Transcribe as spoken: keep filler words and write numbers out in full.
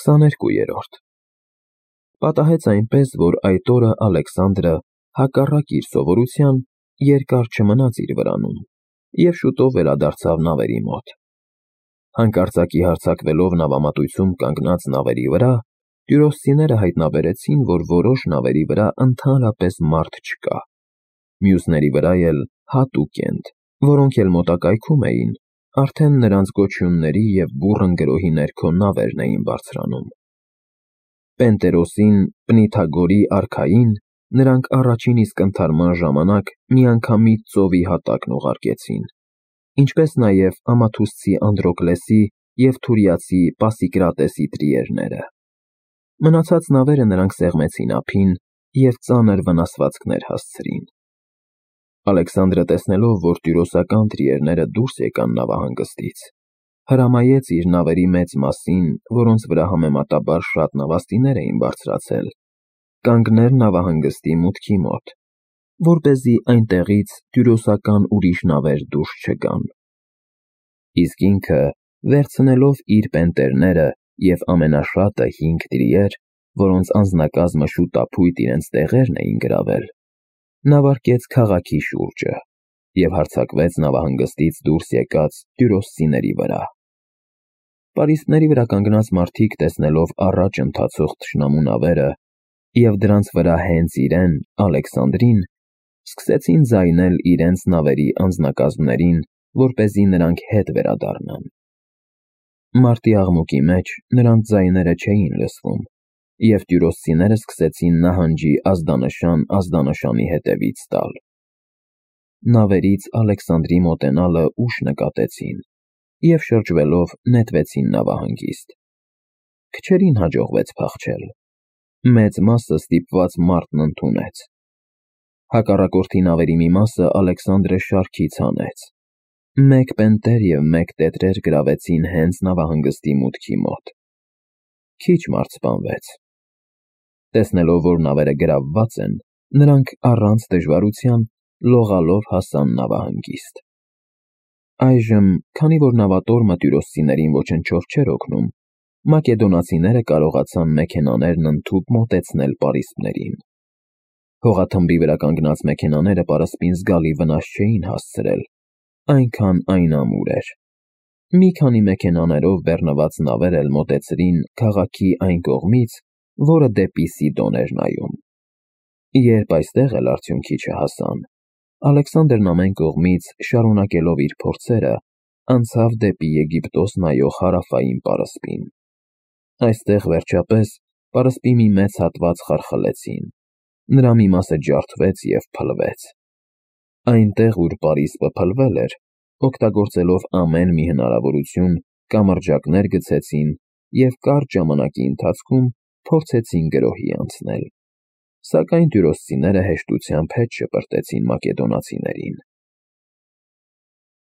քսաներկուերորդ Պատահեց այնպես, որ այդ օրը Ալեքսանդրը, հակառակ իր սովորության, երկար չմնաց իր վրանում և շուտով վերադարձավ նավերի մոտ։ Հանկարծակի հարձակվելով նավամատույցում կանգնած նավերի վրա, տյուրոսցիները հայտնաբերեցին, որ որոշ նավերի վրա ընդհանրապես մարդ չկա, մյուսների վրա էլ հատուկ էնդ, որոնք էլ մոտակայքում էին, արդեն նրանց գոչյունների և բուռն գրոհի ներքո նավերն էին բարձրանում։ Պենտերոսին, Պնիթագորի արքային, նրանք առաջին իսկ ընդհարման ժամանակ միանգամից ծովի հատակն ուղարկեցին, ինչպես նաև Ամաթուսցի Անդրոկլեսի և Թուրիացի Պասիկրատեսի տրիերները։ Մնացած նավերը նրանք սեղմեցին ափին և ծանր վնասվածքներ հասցրին։ Ալեքսանդրը, տեսնելով, որ տյուրոսական տրիերները դուրս եկան նավահանգստից, հրամայեց իր նավերի մեծ մասին, որոնց վրա համեմատաբար շատ նավաստիներ էին բարձրացել, կանգնել նավահանգստի մուտքի մոտ, որպեսզի այնտեղից տյուրոսական ուրիշ նավեր դուրս չգան։ Իսկ ինքը, վերցնելով իր պենտերները և ամենաշատը հինգ տրիեր, որոնց անձնակազմը շուտափույթ իրենց տեղերն էին գրավել, նավարկեց քաղաքի շուրջը և հարձակվեց նավահանգստից դուրս եկած տյուրոսցիների վրա։ Պարիսպների վրա կանգնած մարդիկ, տեսնելով առաջ ընթացող թշնամու նավերը և դրանց վրա հենց իրեն՝ Ալեքսանդրին, սկսեցին ձայնել իրենց նավերի անձնակազմներին, որպեսզի նրանք հետ վերադառնան։ Մարտի աղմուկի մեջ նրանց ձայները չէին լսվում, և տյուրոսցիները սկսեցին նահանջի ազդանշան ազդանշանի հետևից տալ։ Նավերից Ալեքսանդրի մոտենալը ուշ նկատեցին և շրջվելով նետվեցին նավահանգիստ։ Քչերին հաջողվեց փախչել։ Մեծ մասը ստիպված մարտն ընդունեց։ Հակառակորդի նավերի մի մասը Ալեքսանդրը շարքից հանեց։ Մեկ պենտեր և մեկ տետրեր գրավեցին հենց նավահանգստի մուտքի մոտ։ Քիչ մարդ սպանվեց։ Տեսնելով, որ նավերը գրավված են, նրանք առանց դժվարության լողալով հասան նավահանգիստ։ Այժմ, քանի որ նավատորմը տյուրոսցիներին ոչնչով չէր օգնում, մակեդոնացիները կարողացան մեքենաներն ընդհուպ մոտեցնել պարիսպներին։ Հողաթմբի վրա կանգնած մեքենաները պարսպին զգալի վնաս չէին հասցրել, այնքան այն ամուր էր։ Մի քանի մեքենաներով բեռնված նավեր էլ մոտեցրին քաղաքի այն կողմից, որը դեպի Սիդոն էր նայում։ Երբ այստեղ էլ արդյունքի չհասան, Ալեքսանդրն ամեն կողմից, շարունակելով իր փորձերը, անցավ դեպի Եգիպտոս նայող հարավային պարսպին։ Այստեղ, վերջապես, պարսպի մի մեծ հատված խարխլեցին, նրա մի մասը ջարդվեց և փլվեց։ Այնտեղ, ուր պարիսպը փլվել էր, օգտագործելով ամեն մի հնարավորություն, կամրջակներ գցեցին և կարճ ժամանակի ընթացքում փորձեցին գրոհի անցնել։ Սակայն տյուրոսցիները հեշտությամբ հետ շպրտեցին մակեդոնացիներին։